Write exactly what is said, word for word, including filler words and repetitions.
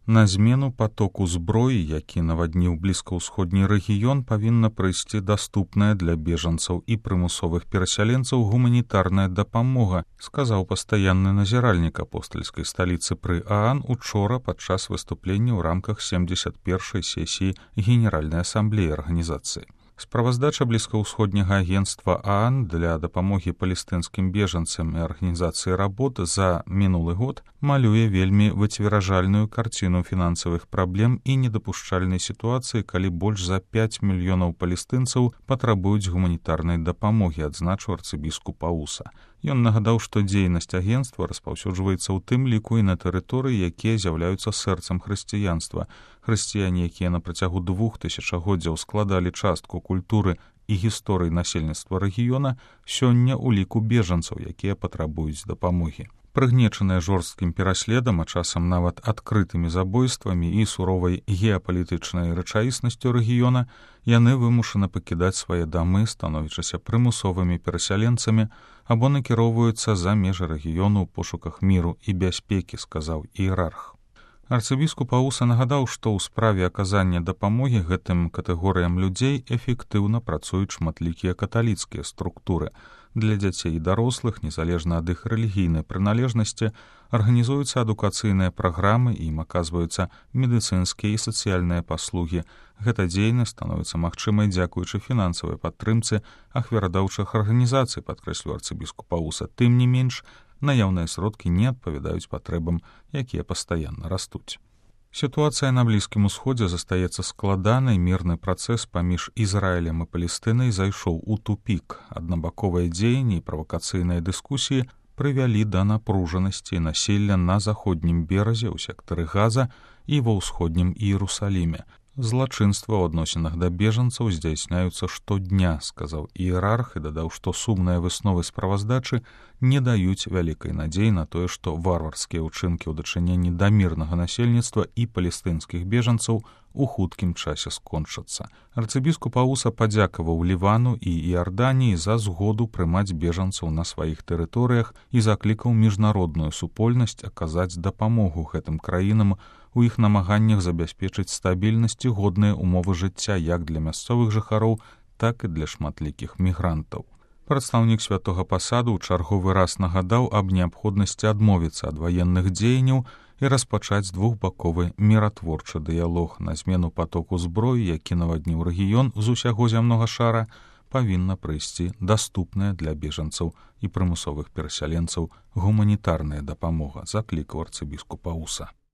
На змену потоку зброі, які навадніў блізкаўсходні рэгіён, павінна прыйсці даступная для бежанцаў і прымусовых перасяленцаў гуманітарная дапамога, сказаў пастаянны назіральнік апостальскай сталіцы пры ААН учора падчас выступлення ў рамках семдзесят першай сесіі Генеральнай асамблеі арганізацыі. Справаздача блізкаўсходняга агенцтва ААН для дапамогі палестынскім бежанцам і арганізацыі работ за мінулы год малюе вельмі выцверажальную карціну фінансавых праблем і недапушчальнай сітуацыі, калі больш за пяць мільёнаў палестынцаў патрабуюць гуманітарнай дапамогі, адзначыў арцыбіскуп Ауса. Ён нагадаў, што дзейнасць агенцтва распаўсюджваецца ў тым ліку і на тэрыторыі, якія з'яўляюцца сэрцам хрысціянства. Хрысціяне, якія на працягу двух тысячагоддзяў складалі частку культуры і гісторыі насельніцтва рэгіёна, сёння ў ліку бежанцаў, якія патрабуюць дапамогі. Прыгнечаныя жорсткім пераследам, а часам нават адкрытымі забойствамі і суровай геапалітычнай рэчаіснасцю рэгіёна, яны вымушаны пакідаць свае дамы, становячыся прымусовымі перасяленцамі, або накіроўваюцца за межы рэгіёну ў пошуках міру і бяспекі, сказаў іерарх. Арцыбіскуп Ауса нагадаў, што ў справе аказання дапамогі гэтым катэгорыям людзей эфектыўна працуюць шматлікія каталіцкія структуры. Для дзяцей і дарослых, незалежна ад іх рэлігійнай прыналежнасці, арганізуюцца адукацыйныя праграмы і ім аказваюцца медыцынскія і сацыяльныя паслугі. Гэта дзейнасць становіцца магчымай дзякуючы фінансавай падтрымцы ахвярадаўчых арганізацый, падкрэсліў арцыбіскуп Ауса. Тым не менш, наяўныя сродкі не адпавядаюць патрэбам, якія пастаянна растуць. Сітуацыя на Блізкім Усходзе застаецца складанай, мірны працэс паміж Ізраілем і Палестынай зайшоў у тупік. Аднабаковыя дзеянні і правакацыйныя дыскусіі прывялі да напружанасці насілля на заходнім беразе ў сектары Газа і ва ўсходнім Іерусаліме. Злачынства ў адносінах да бежанцаў здзяйсняюцца штодня, сказаў іерарх і дадаў, што сумныя высновы справаздачы не даюць вялікай надзеі на тое, што варварскія ўчынкі ў дачыненні да мірнага насельніцтва і палестынскіх бежанцаў у хуткім часе скончацца. Арцыбіскуп Ауса падзякаваў Лівану і Іарданіі за згоду прымаць бежанцаў на сваіх тэрыторыях і заклікаў міжнародную супольнасць аказаць дапамогу гэтым краінам у іх намаганнях забяспечыць стабільнасць і годныя умовы жыцця як для мясцовых жыхароў, так і для шматлікіх мігрантаў. Прадстаўнік святога пасаду ў чарговы раз нагадаў аб неабходнасці адмовіцца ад ваенных дзеянняў і распачаць двухбаковы міратворчы дыялог. На змену патоку зброі, які навадніў рэгіён з усяго зямнога шара, павінна прыйсці даступная для бежанцаў і прымусовых перасяленцаў гуманітарная дапамога, заклікаў арцыбіскуп Ауса.